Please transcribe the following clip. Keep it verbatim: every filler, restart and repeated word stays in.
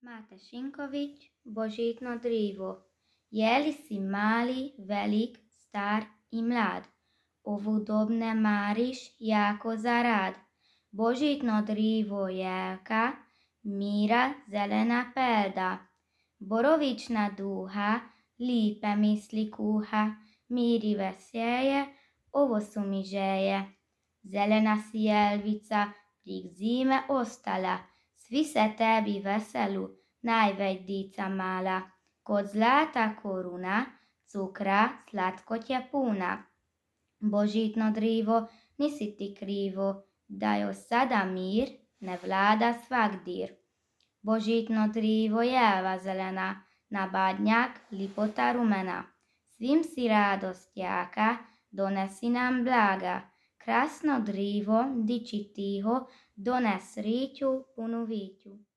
Mate Sinković, božitno drivo, jeli si mali, velik, star i mlad, ovu dob ne mariš jako za rad. Božitno drivo jelka, mira zelena pelda, borovična duha, lipe misli kuha, mir i veselje, ovo su mi želje. Zelena si jelvica, prik zime ostala, svi se tebi veselu, najveć dica mala. Kod zlata koruna, cukra slatkoće puna. Božitno drivo, nisi ti krivo, da još sada mir ne vlada svagdir. Božitno drivo, jelva zelena, na badnjak lipota rumena. Svim si radost jaka, donesi nam blaga. Krasno drivo, diči tiho, dones sriću punu viću.